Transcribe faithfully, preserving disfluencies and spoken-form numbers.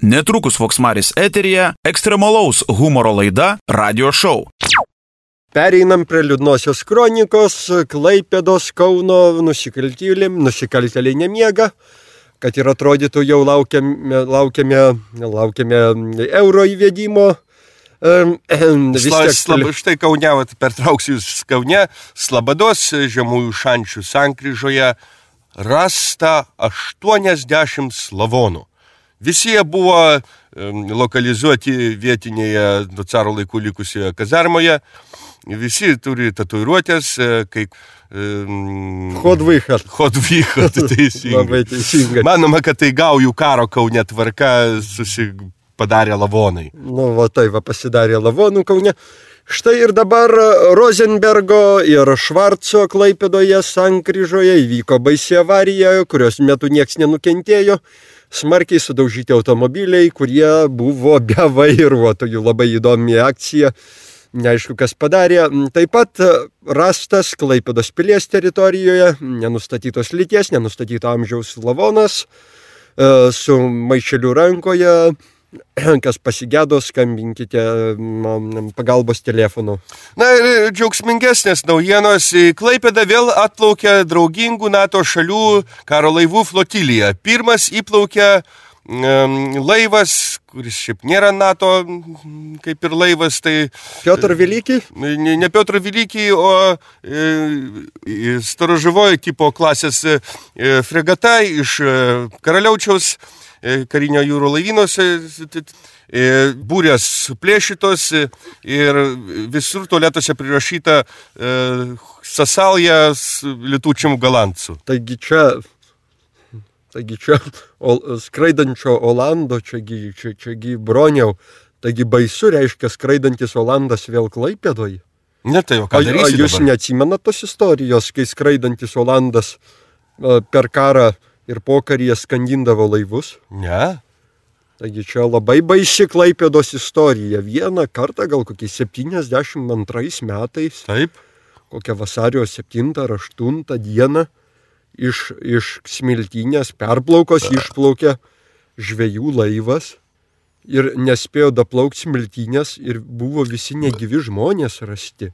Netrukus Voksmaris eteryje ekstremalaus humoro laida Radio Show. Pereinam prie liūdnosios kronikos. Klaipėdos Kauno nusikaltėliai, nusikaltėliai nemiega, kad ir atrodytų jau laukiame, laukiame, laukiame euro įvedimo. Tiek... Slab, štai Kaune, pertrauksiu jūs Kaune, Slabados Žemųjų Šančių sankryžoje rasta aštuoniasdešimt slavonų. Visi jie buvo um, lokalizuoti vietinėje nuo caro laikų likusioje kazarmoje. Visi turi tatuiruotės, kaip... Um, Hodvychat. Hodvychat, teisingai. Labai teisingai. Manoma, kad tai gaujų karo Kaune tvarka susipadarė lavonai. Nu, va tai va pasidarė lavonų Kaune. Štai ir dabar Rozenbergo ir Švarco Klaipėdoje sankryžoje įvyko baisi avarija, kurios metu nieks nenukentėjo. Smarkiai sudaužyti automobiliai, kurie buvo be vairuotojų. Labai įdomi akcija, neaišku kas padarė. Taip pat rastas Klaipėdos pilies teritorijoje nenustatytos lyties, nenustatyto amžiaus lavonas su maišeliu rankoje. Kas pasigėdo, skambinkite pagalbos telefonu. Na ir džiaugsmingesnės naujienos. Į Klaipėdą vėl atplaukė draugingų NATO šalių karo laivų flotilija. Pirmas įplaukė um, laivas, kuris šiaip nėra NATO, kaip ir laivas, tai... Piotr Velykį? Ne, ne Piotr Velykį, o e, Storoživojo tipo klasės e, fregata iš e, Karaliaučiaus karinio jūrų laivynuose, būrės plėšytos ir visur tualetuose prirašyta e, Sasalja Lietučiam Galantsų. Taigi čia, taigi čia o, skraidančio Olando, čiagi, čia, čiagi broniau, taigi baisu reiškia skraidantis Olandas vėl Klaipėdoje. Ne, tai jau ką darysi dabar? A jūs neatsimenat tos istorijos, kai skraidantis Olandas per karą ir pokaryje skandindavo laivus? Ne. Taigi čia labai baisi Klaipėdos istorija. Vieną kartą, gal kokiais septyniasdešimt antrais metais, taip, kokią vasario septintą ar aštuntą dieną iš, iš Smiltynės perplaukos išplaukė žvejų laivas ir nespėjo daplaukti Smiltynės ir buvo visi negyvi žmonės rasti.